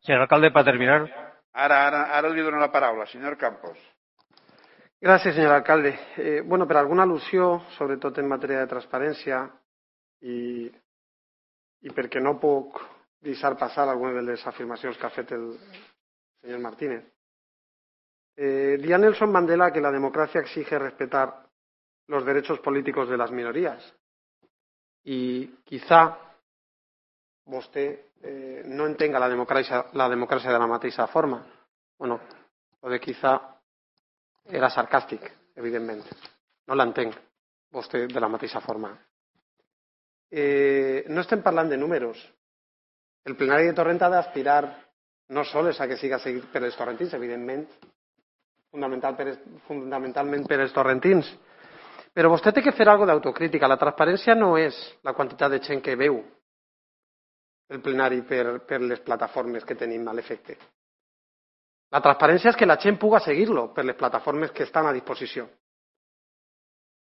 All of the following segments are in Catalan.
Señor alcalde, para terminar. Ara li dono la paraula, senyor Campos. Gràcies, senyor alcalde. Per alguna al·lusió, sobretot en matèria de transparència, i perquè no puc deixar passar algunes de les afirmacions que ha fet el senyor Martínez. Decía Nelson Mandela que la democracia exige respetar los derechos políticos de las minorías. Y quizá vostè no entenga la democràcia de la mateixa forma. Bueno, o de quizá era sarcàstic, evidentment. No l'entenc, vostè, de la mateixa forma. No estem parlant de números. El plenari de Torrent ha d'aspirar no sols a que siga seguit per els torrentins, evidentment, fundamentalment per els torrentins, però vostè té que fer alguna d'autocrítica. La transparència no és la quantitat de gent que veu el plenari per les plataformes que tenim a l'efecte. La transparència és que la gent puga seguir-lo per les plataformes que estan a disposició.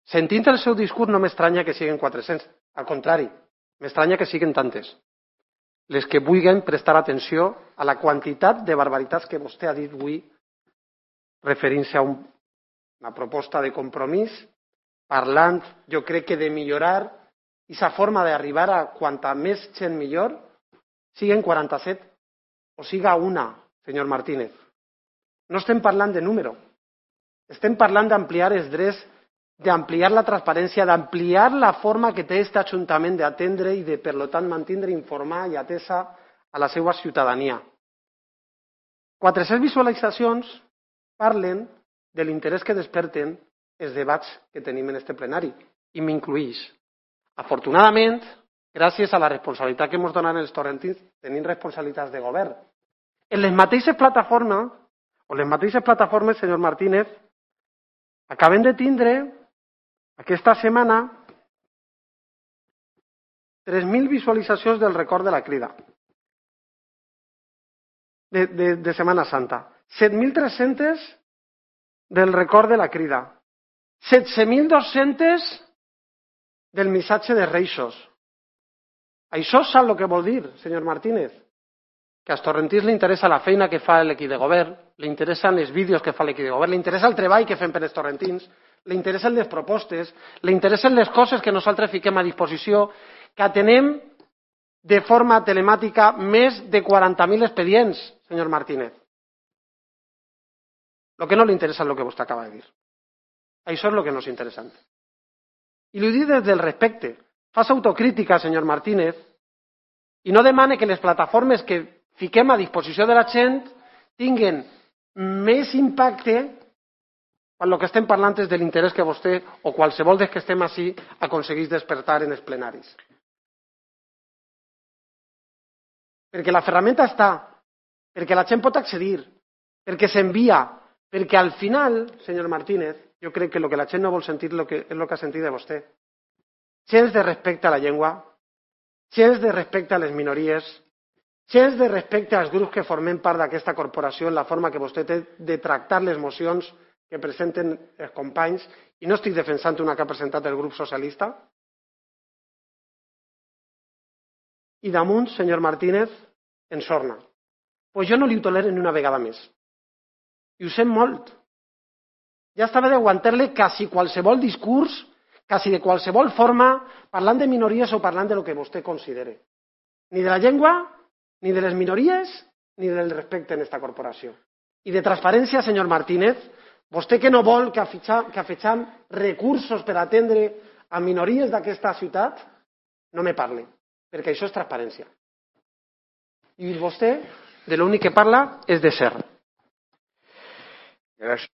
Sentint el seu discurs no m'estranya que siguin 400. Al contrari, m'estranya que siguin tantes. Les que vulguin prestar atenció a la quantitat de barbaritats que vostè ha dit avui referint-se a una proposta de compromís, parlant, jo crec que de millorar aquesta forma d'arribar a quanta més gent millor, siguen 47 o siga una, senyor Martínez. No estem parlant de número. Estem parlant d'ampliar els drets, d'ampliar la transparència, d'ampliar la forma que té aquest ajuntament d'atendre i de, per tant, mantindre, informar i atesa a la seva ciutadania. 400 visualitzacions parlen de l'interès que desperten els debats que tenim en este plenari, i m'incluïx. Afortunadament, gràcies a la responsabilitat que ens donen els torrentins, tenim responsabilitats de govern. En les mateixes plataformes, senyor Martínez, acabem de tindre aquesta setmana 3.000 visualitzacions del record de la Crida de Setmana Santa, 7.300 del record de la Crida, 17.200 del missatge de Reixos. Això sap el que vol dir, senyor Martínez? Que als torrentins li interessa la feina que fa l'equip de govern, li interessen els vídeos que fa l'equip de govern, li interessa el treball que fem per als torrentins, li interessen les propostes, li interessen les coses que nosaltres fiquem a disposició, que atenem de forma telemàtica més de 40.000 expedients, senyor Martínez. El que no li interessa és el que vostè acaba de dir. Això és el que no és interessant. I li dic des del respecte. Fas autocrítica, senyor Martínez, i no demane que les plataformes que fiquem a disposició de la gent tinguen més impacte quan el que estem parlant és de l'interès que vostè o qualsevol dels que estem així aconsegueix despertar en els plenaris. Perquè la ferramenta està, perquè la gent pot accedir, perquè s'envia, perquè al final, senyor Martínez, jo crec que el que la gent no vol sentir és el que ha sentit de vostè. Gens de respecte a la llengua, gens de respecte a les minories, gens de respecte als grups que formem part d'aquesta corporació en la forma que vostè té de tractar les mocions que presenten els companys, i no estic defensant una que ha presentat el grup socialista. I damunt, senyor Martínez, ensorna. Pues jo no li ho tolero ni una vegada més. I ho sent molt. Ja estava d'aguantar-li quasi qualsevol discurs, quasi de qualsevol forma, parlant de minories o parlant de lo que vostè considere. Ni de la llengua, ni de les minories, ni del respecte en aquesta corporació. I de transparència, senyor Martínez, vostè que no vol que afegim recursos per atendre a minories d'aquesta ciutat, no me parli, perquè això és transparència. I vostè, de l'únic que parla és de ser. Gràcies.